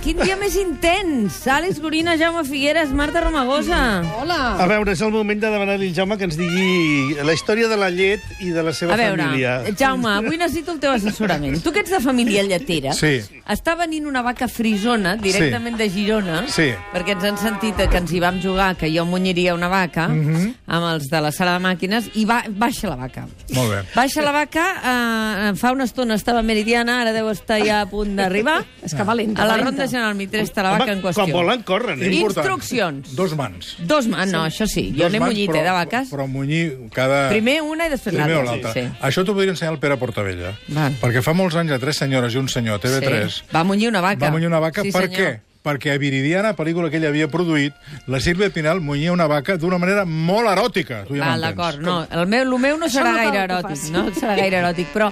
quin dia més intens! Àlex Gorina, Jaume Figueres, Marta Romagosa. Hola! A veure, és el moment de demanar-li al Jaume que ens digui la història de la llet i de la seva família. Jaume, avui necessito el teu assessorament. Tu que ets de família lletera, està venint una vaca frisona directament de Girona, perquè ens han sentit que ens hi vam jugar, que jo munyiria una vaca, amb els de la sala de màquines, i baixa la vaca. Molt bé. Baixa la vaca, fa una estona estava meridiana, ara deu estar ja a punt d'arribar. És que valenta. A la Ronda General Mitre està la vaca en qüestió. Quan volen, corren. Instruccions. 2 mans. 2 mans, no, això sí. Jo n'he munyit, de vaques. Però munyir cada... Primer una i després l'altra. Això t'ho podria ensenyar el Pere Portavella. Perquè fa molts anys, 3 senyores i un senyor, TV3... Va munyir una vaca. Va munyir una vaca, per què? Perquè a Viridiana, pel·lícula que ell havia produït, la Sílvia Pinal munyia una vaca d'una manera molt eròtica. Tu ja m'entens. D'acord, no. El meu no serà gaire eròtic, no serà gaire eròtic, però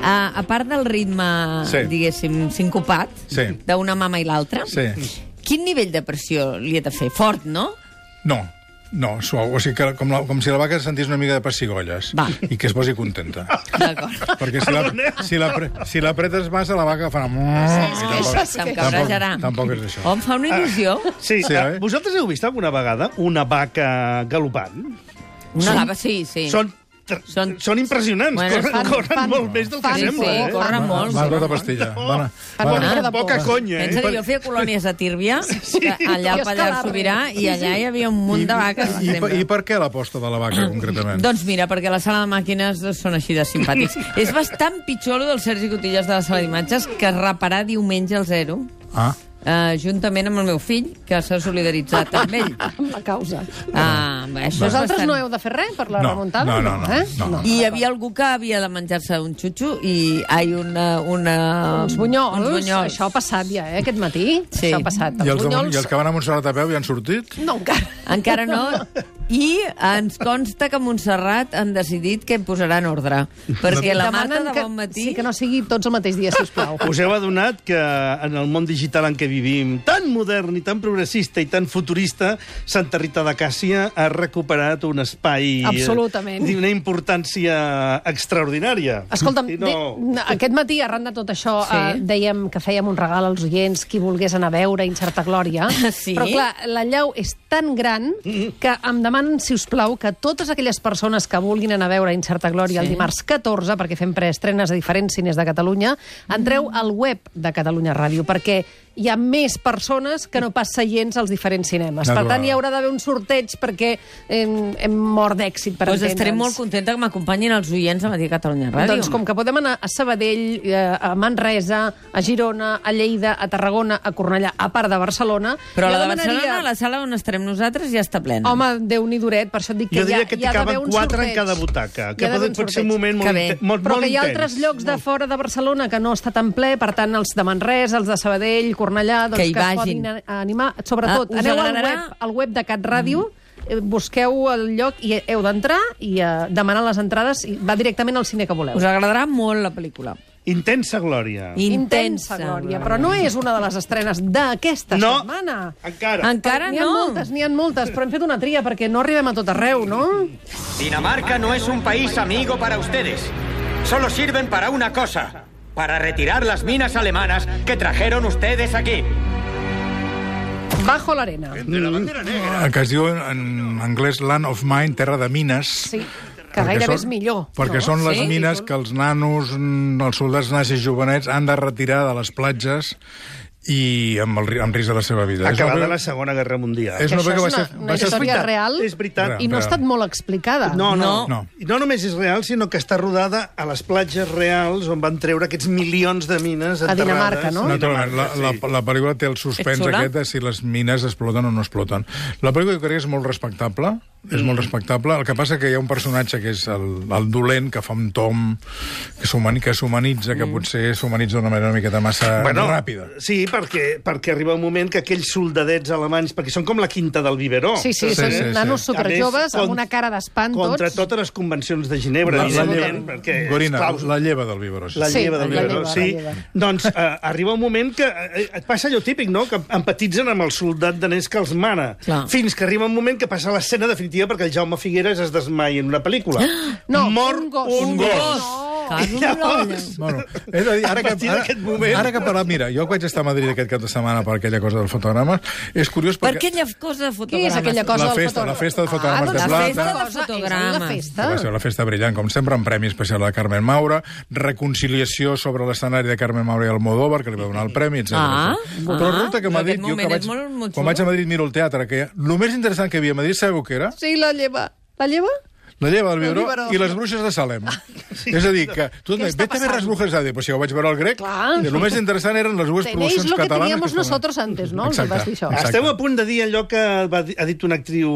a part del ritme, diguéssim, sincopat, d'una mama i l'altra, quin nivell de pressió li ha de fer? Fort, no? No, suau. O sigui, que com si la vaca sentís una mica de pessigolles i que es posi contenta. D'acord. Perquè si l'apretes massa, la vaca farà... Se'm cabrejarà. Tampoc és això. Em fa una il·lusió. Sí, vosaltres heu vist alguna vegada una vaca galopant? Una vaca, sí. Són impressionants, corren molt més del que sembla. Sí, corren molt. Van tota pastilla. Poca conya. Pensa que jo feia colònies a Tírvia, allà al Pallars Sobirà, i allà hi havia un munt de vaques. I per què l'aposta de la vaca, concretament? Doncs mira, perquè la sala de màquines són així de simpàtics. És bastant pitjor el del Sergi Cotillas de la sala d'imatges que reparar diumenge al 0. Juntament amb el meu fill, que s'ha solidaritzat amb ell. Amb la causa. Vosaltres no heu de fer res per la remuntada? No. I hi havia algú que havia de menjar-se un xutxo i uns bunyols. Això ha passat ja, aquest matí. Això ha passat. I els que van a Montserrat a peu ja han sortit? No, encara. Encara no. I ens consta que a Montserrat han decidit que posaran ordre. Perquè la Marta de bon matí... Sí, que no sigui tots el mateix dia, sisplau. Us heu adonat que en el món digital en què vivim, tan modern i tan progressista i tan futurista, Santa Rita de Càssia ha recuperat un espai... Absolutament. D'una importància extraordinària. Escolta'm, aquest matí, arran de tot això, dèiem que fèiem un regal als oients, qui volgués anar a veure Incerta Glòria. Però, clar, la llau és tan gran que em demanen, si us plau, que totes aquelles persones que vulguin anar a veure Incerta Glòria el dimarts 14, perquè fem preestrenes a diferents cines de Catalunya, entreu al web de Catalunya Ràdio, perquè hi ha més persones que no pas seients als diferents cinemes. Per tant, hi haurà d'haver un sorteig perquè hem mort d'èxit, per entendre'ns. Estaré molt contenta que m'acompanyin els oients a Matí Catalunya Ràdio. Doncs com que podem anar a Sabadell, a Manresa, a Girona, a Lleida, a Tarragona, a Cornellà, a part de Barcelona... Però la de Barcelona, la sala on estarem nosaltres, ja està plena. Home, Déu-n'hi duret, per això et dic que hi ha d'haver un sorteig. Jo diria que t'hi caben 4 en cada butaca, que pot ser un moment molt intens. Però que hi ha altres llocs de fora de Barcelona que no està tan ple, per tant, els de Manresa, els de Sabadell, Cornellà, doncs que es podin animar. Sobretot, aneu al web de Cat Ràdio, busqueu el lloc i heu d'entrar i demanar les entrades i va directament al cine que voleu. Us agradarà molt la pel·lícula. Intensa Glòria. Intensa Glòria. Però no és una de les estrenes d'aquesta setmana. Encara no. N'hi ha moltes, però hem fet una tria perquè no arribem a tot arreu, no? Dinamarca no es un país amigo para ustedes. Solo sirven para una cosa. Para retirar las minas alemanas que trajeron ustedes aquí. Bajo l'arena. Que es diu en anglès Land of Mine, terra de mines. Sí, que gairebé és millor. Perquè són les mines que els nanos, els soldats nazis jovenets han de retirar de les platges i amb risc de la seva vida. Acabada la Segona Guerra Mundial. És una història real i no ha estat molt explicada. No només és real, sinó que està rodada a les platges reals on van treure aquests milions de mines enterrades. A Dinamarca, no? Naturalment. La pel·lícula té el suspens aquest de si les mines exploten o no exploten. La pel·lícula jo crec que és molt respectable. És molt respectable. El que passa que hi ha un personatge que és el dolent, que fa un tom, que s'humanitza, que potser s'humanitza d'una manera una miqueta massa ràpida. Sí, perquè arriba un moment que aquells soldadets alemanys, perquè són com la quinta del biberó. Sí, són nanos superjoves amb una cara d'espant tots. Contra totes les convencions de Ginebra, evidentment. Gorina, la lleva del biberó. La lleva del biberó, sí. Doncs arriba un moment que et passa allò típic, no?, que empatitzen amb el soldat danès que els mana. Fins que arriba un moment que passa l'escena definitiva perquè el Jaume Figueres es desmaia en una pel·lícula. No, mor un gos. Bueno, és a dir, ara que parlat, mira, jo vaig estar a Madrid aquest cap de setmana per aquella cosa del fotograma, és curiós perquè... Per aquella cosa de fotogrames? Què és aquella cosa del fotograma? La festa de fotogrames de plata. La festa de fotogrames. Va ser una festa brillant, com sempre, amb premi especial de Carmen Maura, reconciliació sobre l'escenari de Carmen Maura i Almodóvar, que li va donar el premi, etc. Però resulta que a Madrid, jo que quan vaig a Madrid miro el teatre, que el més interessant que hi havia a Madrid, sabeu què era? Sí, la lleva. La lleva? La lleva del Biberó i les bruixes de Salem. És a dir, que tu et vete a ver les brujas de... Pues si ho vaig veure al grec, el més interessant eren les dues produccions catalanes. Tenéis lo que teníamos nosotros antes, no? Exacte. Esteu a punt de dir allò que ha dit una actriu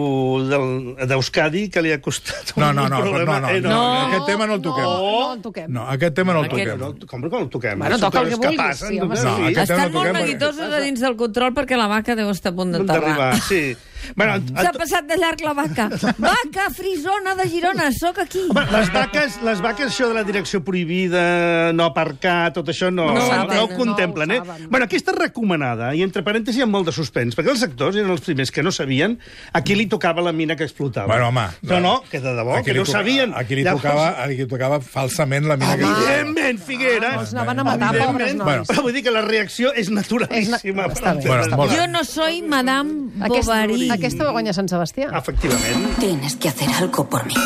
d'Euskadi que li ha costat un problema. No, aquest tema no el toquem. No, aquest tema no el toquem. Com que no el toquem? Bueno, toca el que vulguis. Estan molt neguitosos a dins del control perquè la vaca deu estar a punt d'enterrar. Sí. S'ha passat de llarg la vaca. Vaca frisona de Girona, sóc aquí. Les vaques, això de la direcció prohibida, no aparcar, tot això no ho contemplen, eh? Bueno, aquesta recomanada, i entre parèntesis hi ha molt de suspens, perquè els actors eren els primers que no sabien a qui li tocava la mina que explotava. Bueno, home... No, que de debò, que no sabien. A qui li tocava falsament la mina que explotava. Evidentment, Figueres. Els anaven a matar, pobres nois. Però vull dir que la reacció és naturalíssima. Jo no soy Madame Bovary. Aquesta va guanyar Sant Sebastià. Efectivament. Tienes que hacer algo por mí.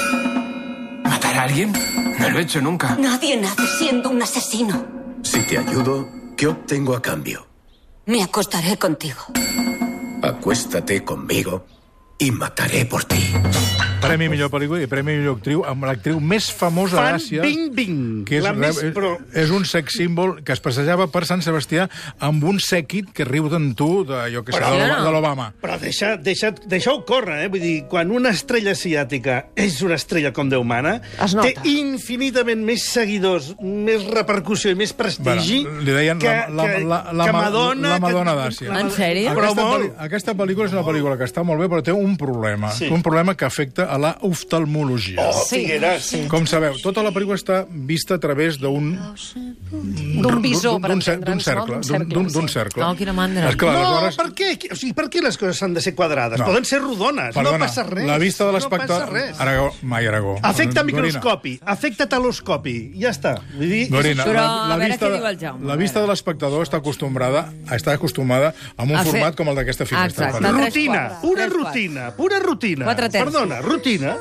¿Matar a alguien? No lo he hecho nunca. Nadie nace siendo un asesino. Si te ayudo, ¿qué obtengo a cambio? Me acostaré contigo. Acuéstate conmigo y mataré por ti. Premi millor pel·lícula i premi millor actriu amb l'actriu més famosa d'Àsia, que és un sex símbol que es passejava per Sant Sebastià amb un sèquit que riu d'en tu, de l'Obama. Però deixa-ho córrer, Vull dir, quan una estrella asiàtica és una estrella com Déu mana, té infinitament més seguidors, més repercussió i més prestigi li deien la Madonna d'Àsia. En sèrio? Aquesta pel·lícula és una pel·lícula que està molt bé, però té un problema que afecta a la oftalmologia. Figueres. Com sabeu, tota la pel·lícula està vista a través d'un visor, per entendre'ns, d'un cercle. Oh, quina mandra. No, per què? O sigui, per què les coses s'han de ser quadrades? Poden ser rodones, no passa res. La vista de l'espectador... Aragó. Afecta microscopi, afecta teloscopi, ja està. Gorina, però a veure què diu el Jaume. La vista de l'espectador està acostumada a un format com el d'aquesta finestra. Rutina, pura rutina. Perdona, rutina?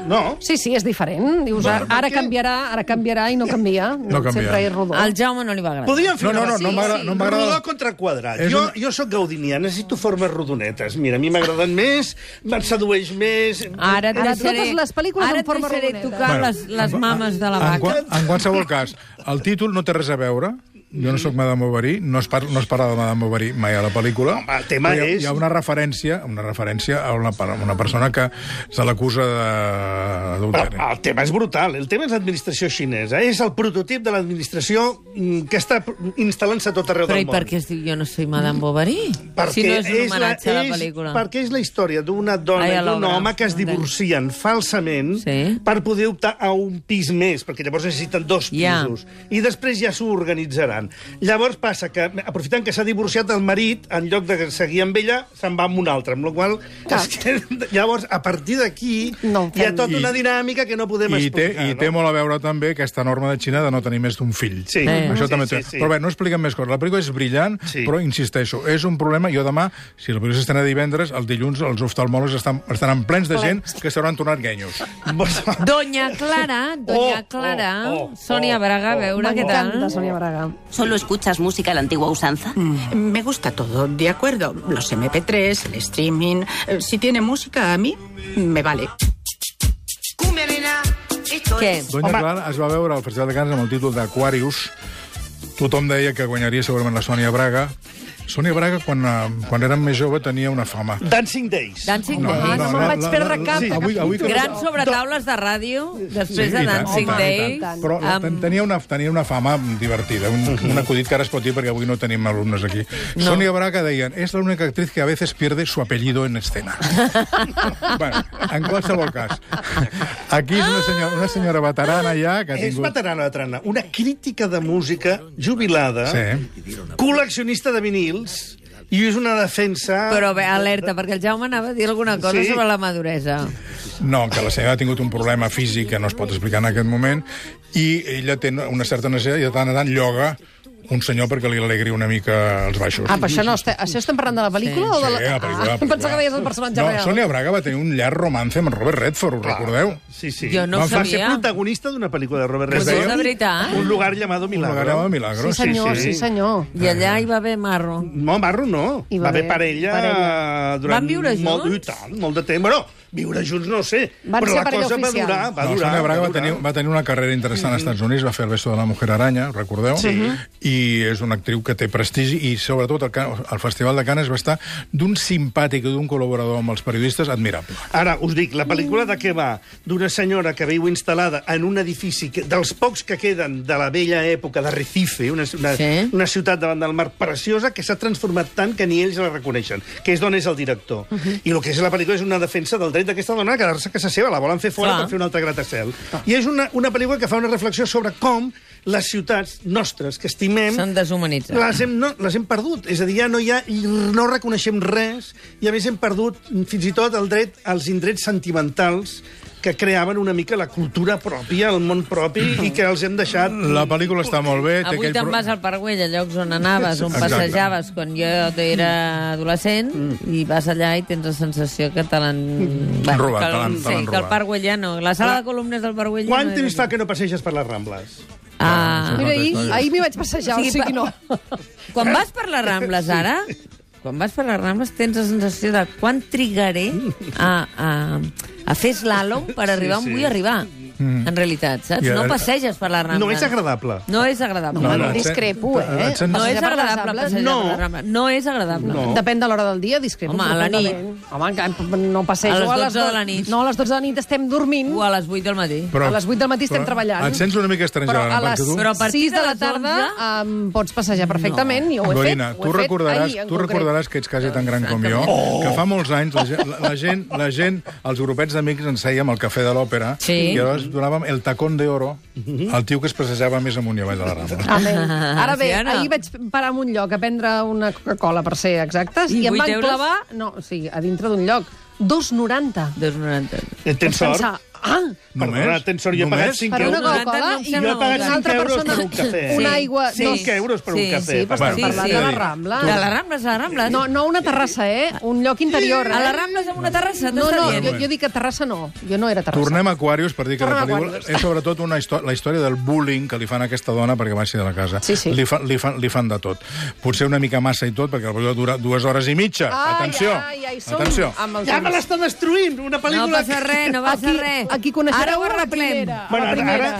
No. Sí, és diferent. Dius, ara canviarà i no canvia. Sempre és rodó. Al Jaume no li va agradar. Podríem fer no m'agrada. Rodó contra quadrat. Jo sóc gaudinià, necessito formes rodonetes. Mira, a mi m'agraden més, me'n sedueix més... Ara totes les pel·lícules en forma rodoneta. Tocar les mames de la vaca. En qualsevol cas, el títol no té res a veure. Jo no sóc Madame Bovary, no es parla de Madame Bovary mai a la pel·lícula. El tema és... Hi ha una referència a una persona que se l'acusa d'adulteri. El tema és brutal. El tema és l'administració xinesa. És el prototip de l'administració que està instal·lant-se tot arreu del món. Però i per què es diu Jo no soy Madame Bovary? Si no és un homenatge a la pel·lícula. Perquè és la història d'una dona i d'un home que es divorcien falsament per poder optar a un pis més, perquè llavors necessiten 2 pisos. I després ja s'ho organitzaran. Llavors passa que, aprofitant que s'ha divorciat el marit, en lloc de seguir amb ella, se'n va amb un altre, amb la qual llavors, a partir d'aquí, hi ha tota una dinàmica que no podem explicar. I té molt a veure també aquesta norma de Xina de no tenir més d'un fill. Això també té. Però bé, no expliquem més coses. La pel·lícula és brillant, però insisteixo, és un problema. Jo demà, si la pel·lícula s'estrena divendres, el dilluns els oftalmòlegs estan plens de gent que s'hauran tornat guenyos. Doña Clara, Sonia Braga, a veure què tal. M'encanta Sonia Braga. ¿Solo escuchas música a la antigua usanza? Me gusta todo, de acuerdo. Los MP3, el streaming... Si tiene música, a mí me vale. Què? Doña Clara es va veure al Festival de Canes amb el títol d'Aquarius. Tothom deia que guanyaria segurament la Sònia Braga. Sònia Braga, quan era més jove, tenia una fama. Dancing Days. Dancing Days. No me'n vaig perdre cap. Grans sobretaules de ràdio, després de Dancing Days. Però tenia una fama divertida, un acudit que ara es pot dir perquè avui no tenim alumnes aquí. Sònia Braga deien, és l'única actriz que a veces pierde su apellido en escena. Bueno, en qualsevol cas. Aquí és una senyora veterana ja que ha tingut... És veterana. Una crítica de música jubilada, col·leccionista de vinils, i és una defensa... Però bé, alerta, perquè el Jaume anava a dir alguna cosa sobre la maduresa. No, que la senyora ha tingut un problema físic que no es pot explicar en aquest moment I ella té una certa necessitat i de tant en tant lloga un senyor perquè li alegri una mica els baixos. Però això estem parlant de la pel·lícula o de la... Sí, la pel·lícula. Pensava que deies el personatge real. Sonia Braga va tenir un llarg romance amb Robert Redford, ho recordeu? Sí. Jo no Va sabia. ser protagonista d'una pel·lícula de Robert Redford. Pues és de veritat. Un lugar llamado Milagro. Sí, senyor. I allà hi va haver marro. No, marro no. Va haver parella durant... Van viure junts? Molt de temps. Bueno, viure junts no sé, Van però ser la parella cosa va oficial. durar. Sonia Braga va tenir una carrera interessant als Estats Units, va fer el beso de la mujer aranya, recordeu? Sí. I és una actriu que té prestigi i, sobretot, al Festival de Canes va estar d'un simpàtic i d'un col·laborador amb els periodistes admirable. Ara, us dic, la pel·lícula de què va? D'una senyora que viu instal·lada en un edifici dels pocs que queden de la vella època de Recife, una ciutat davant del mar preciosa que s'ha transformat tant que ni ells la reconeixen, que és d'on és el director. I el que és la pel·lícula és una defensa del dret d'aquesta dona a quedar-se a casa seva, la volen fer fora per fer un altre gratacel. I és una pel·lícula que fa una reflexió sobre com les ciutats nostres que estimem... S'han deshumanitzat. Les hem perdut. És a dir, ja no reconeixem res i, a més, hem perdut fins i tot el dret als indrets sentimentals que creaven una mica la cultura pròpia, el món propi, i que els hem deixat... La pel·lícula està molt bé. Avui te'n vas al Parc Güell, a llocs on anaves, on passejaves quan jo era adolescent, i vas allà i tens la sensació que te l'han... robat. Sí, que el Parc Güell ja no. La sala de columnes del Parc Güell... Quant temps fa que no passeges per les Rambles? Mira, ahir m'hi vaig passejar, o sigui no. Quan vas per les Rambles ara... Quan vas per les Rambles tens la sensació de quan trigaré a fer slàlom per arribar on vull arribar. En realitat, saps? No passeges per la Rambla. No és agradable. No és agradable. No, discrepo, No és agradable passejar per la Rambla. No és agradable. Depèn de l'hora del dia, discrepo. Home, a la nit. Home, no passejo a les 12 de la nit. No, a les 12 de la nit estem dormint. O a les 8 del matí. A les 8 del matí estem treballant. Et sents una mica estrangera. Però a partir de la tarda pots passejar perfectament i ho he fet. Gorina, tu recordaràs que ets quasi tan gran com jo, que fa molts anys la gent, els grupets d'amics ens sèiem al Cafè de l'Òpera i llavors donàvem el tacón de oro al tio que es passejava més amunt i avall de la Rambla. Ara bé, ahir vaig parar en un lloc a prendre una Coca-Cola, per ser exactes, i em van clavar... No, sí, a dintre d'un lloc. 2,90. 2,90. Tens sort? Només? Tens sort, jo he pagat 5 per una Coca-Cola i jo he pagat 5 euros per un cafè. Una aigua... 5 euros per un cafè. Sí, però estem parlant de la Rambla. De la Rambla, de la Rambla. No una terrassa, un lloc interior. A la Rambla és una terrassa? No, jo dic que terrassa no. Jo no era terrassa. Tornem a Aquarius per dir que la pel·lícula és sobretot la història del bullying que li fan a aquesta dona perquè baixi de la casa. Li fan de tot. Potser una mica massa i tot, perquè la pel·lícula dura 2 hores i mitja. Atenció. Ja me l'està destruint, una pel·lícula... No passa res, no passa res. Aquí coneixereu la primera.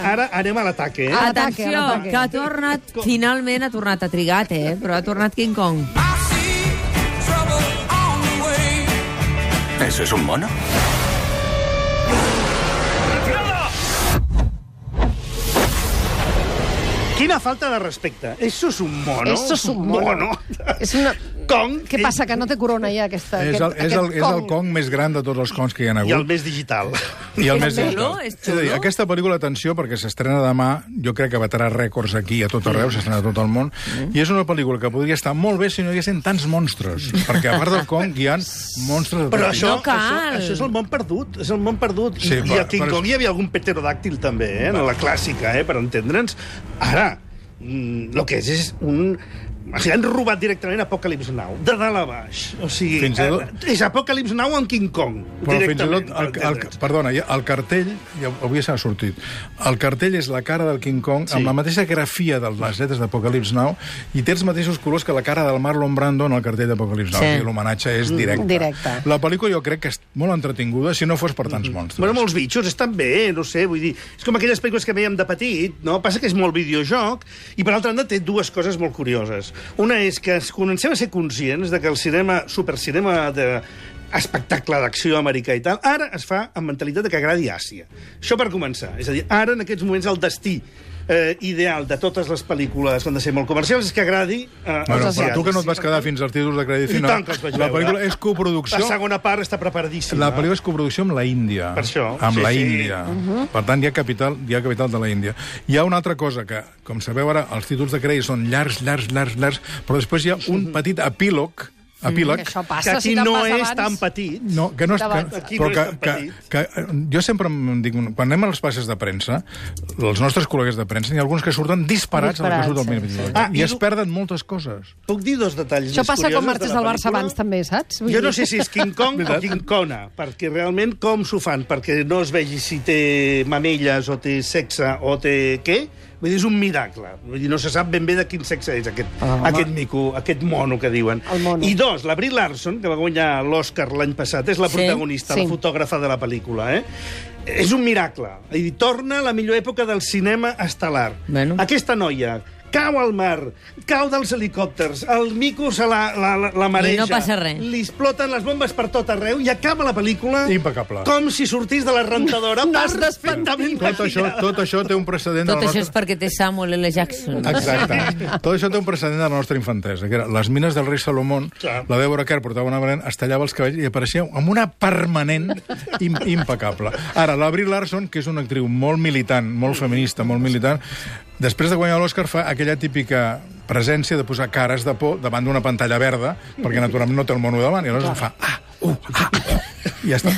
Ara anem a l'ataque, Atenció, que ha tornat, finalment ha tornat, ha trigat, però ha tornat King Kong. ¿Eso es un mono? Quina falta de respecte. Eso es un mono. Eso es un mono. És una... Kong. Què passa, que no té corona ja aquesta... És el Kong més gran de tots els Kongs que hi ha hagut. I el més digital. I el més digital. És a dir, aquesta pel·lícula, atenció, perquè s'estrena demà, jo crec que batrà rècords aquí a tot arreu, s'estrena a tot el món, i és una pel·lícula que podria estar molt bé si no hi haguessin tants monstres, perquè a part del Kong hi ha monstres de tot. Però això és el món perdut, és el món perdut. I a King Kong hi havia algun pterodàctil també, en la clàssica, per entendre'ns. Ara, el que és un... O sigui, han robat directament Apocalypse Now, de dalt a baix. O sigui, és Apocalypse Now amb King Kong. Però fins i tot, perdona, el cartell, ja avui s'ha sortit, el cartell és la cara del King Kong amb la mateixa grafia de les lletres d'Apocalypse Now i té els mateixos colors que la cara del Marlon Brando en el cartell d'Apocalypse Now. Sí. L'homenatge és directe. La pel·lícula jo crec que és molt entretinguda si no fos per tants monstres. Bueno, molts bitxos estan bé, no sé, vull dir, és com aquelles pel·lícules que veiem de petit, no? Passa que és molt videojoc i per altra banda té dues coses molt curioses. Una és que comencem a ser conscients de que el cinema, supercinema d'espectacle d'acció americà i tal, ara es fa amb mentalitat de que agradi Àsia. Això per començar. És a dir, ara en aquests moments el destí ideal de totes les pel·lícules que han de ser molt comercials és que agradi als asiàtics. Però tu que no et vas quedar fins als títols de crèdit final, la pel·lícula és coproducció... La segona part està preparadíssima. La pel·lícula és coproducció amb la Índia. Per això. Amb la Índia. Per tant, hi ha capital de la Índia. Hi ha una altra cosa que, com sabeu ara, els títols de crèdit són llargs, però després hi ha un petit epílog epíleg. Això passa, que aquí no és tan petit. No, que no és... Que jo sempre em dic, quan anem a les passes de premsa, els nostres col·legues de premsa, hi ha alguns que surten disparats a la que surt el minut. I es perden moltes coses. Puc dir dos detalls això més curiosos de la pel·lícula? passa quan marxes del Barça abans, també, saps? Jo no sé si és King Kong o King Kona, perquè realment com s'ho fan? Perquè no es vegi si té mamelles o té sexe o té què? Vull dir, és un miracle. Vull dir, no se sap ben bé de quin sexe és aquest mico, aquest mono que diuen. I dos, la Brie Larson, que va guanyar l'Oscar l'any passat, és la protagonista, la fotògrafa de la pel·lícula, És un miracle. I torna a la millor època del cinema estel·lar. Aquesta noia cau al mar, cau dels helicòpters, el mico se la mareja. I no passa res. Li exploten les bombes per tot arreu i acaba la pel·lícula impecable. Com si sortís de la rentadora. Perfectament. Tot això té un precedent... Tot això és perquè té Samuel L. Jackson. Exacte. Tot això té un precedent de la nostra infantesa, que era les mines del rei Salomón, la Deborah Kerr portava una venent, es tallava els cabells i apareixia amb una permanent impecable. Ara, la Brie Larson, que és una actriu molt militant, molt feminista, molt militant, després de guanyar l'Oscar fa aquella típica presència de posar cares de por davant d'una pantalla verda, perquè naturalment no té el mono davant, i aleshores fa i ja està.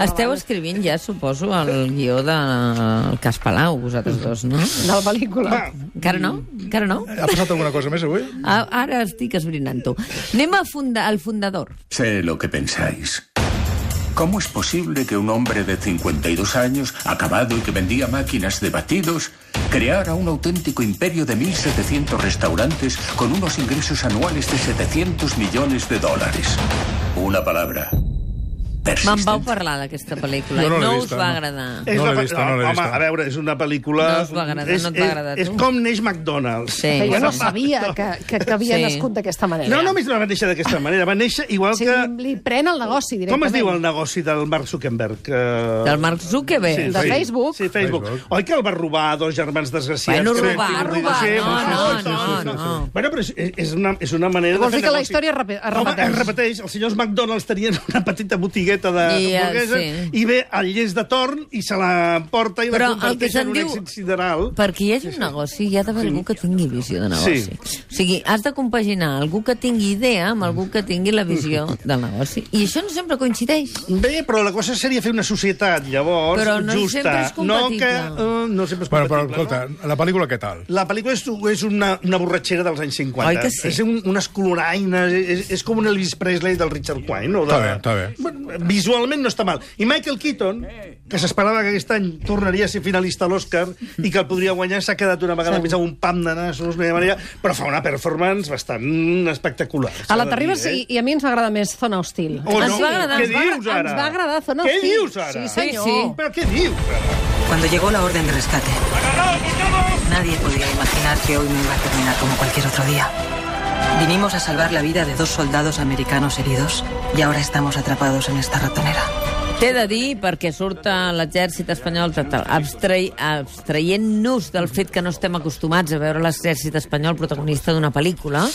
Esteu escrivint ja, suposo, el guió del Cas Palau, vosaltres dos, no? De la pel·lícula. Encara no? Encara no? Ha passat alguna cosa més avui? Ara estic esbrinant-ho. Anem al fundador. Sé lo que pensáis. ¿Cómo es posible que un hombre de 52 años, acabado y que vendía máquinas de batidos, creara un auténtico imperio de 1.700 restaurantes con unos ingresos anuales de 700 millones de dólares? Una palabra. Me'n vau parlar d'aquesta pel·lícula i no us va agradar. No l'he vista. Home, a veure, és una pel·lícula... No us va agradar, no et va agradar a tu. És com neix McDonald's. Jo no sabia que havia nascut d'aquesta manera. No només va néixer d'aquesta manera, va néixer igual que... Li pren el negoci directament. Com es diu el negoci del Mark Zuckerberg? Del Mark Zuckerberg? De Facebook? Sí, Facebook. Oi que el va robar a dos germans desgraciats? Bueno, robar, no. Bueno, però és una manera de fer negoci. Vols dir que la història es repeteix? Home, es repeteix. Els senyors McDonald's tenien una petita botigueta de hamburguesa i ve el llest de torn i se la porta i la converteix en un èxit sideral. Perquè hi hagi un negoci hi ha d'haver algú que tingui visió de negoci. O sigui, has de compaginar algú que tingui idea amb algú que tingui la visió del negoci. I això no sempre coincideix. Bé, però la cosa seria fer una societat, llavors, però no justa. Sempre és compatible. No sempre és compatible. Però, escolta, la pel·lícula què tal? La pel·lícula és una borratxera dels anys 50. Oi que sí? És unes coloraines, és com un Elvis Presley del Richard Quine. Està bé. Visualment no està mal. I Michael Keaton, que s'esperava que aquest any tornaria a ser finalista a l'Oscar i que el podria guanyar, s'ha quedat una vegada més amb un pam de nassos, però fa una performance bastant espectacular. A la t'arribes i a mi ens va agradar més Zona Hostil. Oh, no? Què dius ara? Ens va agradar Zona Hostil. Què dius ara? Sí, senyor. Sí. Però què dius ara? Cuando llegó la orden de rescate, nadie podía imaginar que hoy no iba a terminar como cualquier otro día. Vinimos a salvar la vida de 2 soldados americanos heridos y ahora estamos atrapados en esta ratonera. T'he de dir, perquè surt l'exèrcit espanyol abstraient-nos del fet que no estem acostumats a veure l'exèrcit espanyol protagonista d'una pel·lícula,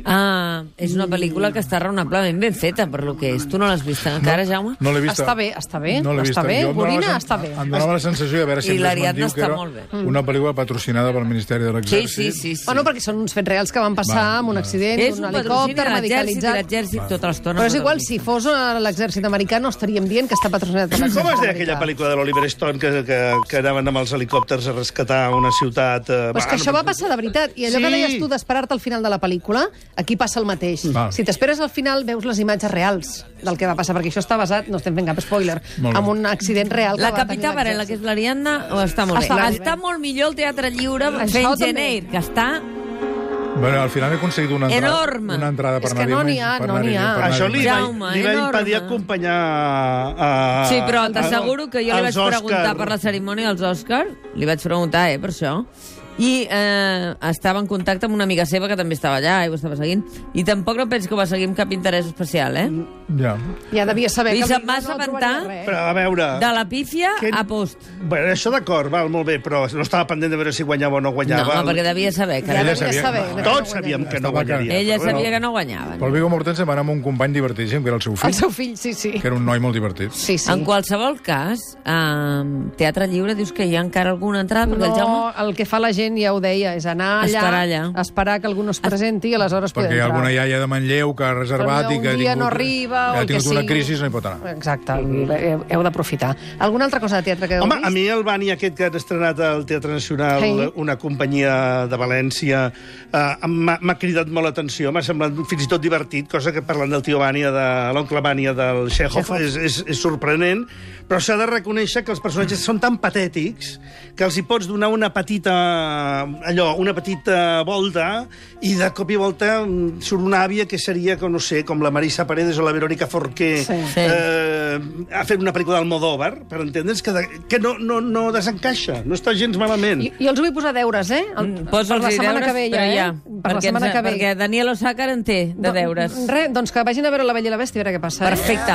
és una pel·lícula que està raonablement ben feta per lo que és. Tu no l'has vista encara, Jaume? No l'he vista. Està bé. No l'he vista. Gorina està bé. Em donava la sensació de veure si em desmentiu que era una pel·lícula patrocinada pel Ministeri de l'Exèrcit. Sí. Bueno, perquè són uns fets reals que van passar amb un accident, un helicòpter radicalitzat. L'exèrcit tota l'estona. Però és igual, si fos l'exèrcit americà no estaríem dient que està patrocinat per l'exèrcit americà. Com es deia aquella pel·lícula de l'Oliver Stone que anaven amb els helicòpters a rescatar una ciutat... Però és que això va passar de veritat. I allò que deies tu d'esperar-te al final de la pel·lícula, aquí passa el mateix. Si t'esperes al final, veus les imatges reals del que va passar, perquè això està basat, no estem fent cap spoiler, en un accident real que la va tenir Capità Varela, que és l'Ariadna, està molt bé. Està molt millor el Teatre Lliure fent Geneir, que està... Bueno, al final he aconseguit una entrada per anar-hi. És que no n'hi ha. Això li va impedir acompanyar Sí, però t'asseguro que jo li vaig preguntar per la cerimònia dels Òscar, li vaig preguntar, per això, i estava en contacte amb una amiga seva que també estava allà i ho estava seguint, i tampoc no penso que va seguir amb cap interès especial, Ja devia saber que se'n va assabentar de la pífia a post. Bueno, això d'acord, val, molt bé, però no estava pendent de veure si guanyava o no guanyava. No, perquè devia saber que tots sabíem que no guanyaria. Ella sabia que no guanyava. Però el Viggo Mortensen va anar amb un company divertíssim, que era el seu fill. El seu fill, sí. Que era un noi molt divertit. Sí. En qualsevol cas, Teatre Lliure dius que hi ha encara alguna entrada? No, el que fa la gent gent ja ho deia, és anar allà, esperar que algú no es presenti i aleshores poder entrar. Perquè hi ha alguna iaia de Manlleu que ha reservat i que ha tingut una crisi i no hi pot anar. Exacte, heu d'aprofitar. Alguna altra cosa de teatre que heu vist? Home, a mi el Bani aquest que han estrenat al Teatre Nacional, una companyia de València, m'ha cridat molt l'atenció, m'ha semblat fins i tot divertit, cosa que parlant del tio Vania, de l'oncle Vania del Chekhov, és sorprenent, però s'ha de reconèixer que els personatges són tan patètics que els hi pots donar una petita volta i de cop i volta surt una àvia que seria, no sé, com la Marisa Paredes o la Verónica Forqué ha fet una pel·lícula d'Almodóvar, per entendre's, que no desencaixa, no està gens malament. Jo els vull posar deures, per la setmana que ve ja, per la setmana que ve. Perquè Daniel Osàcar en té de deures. Res, doncs que vagin a veure La Bella i la Bèstia, a veure què passa. Perfecte.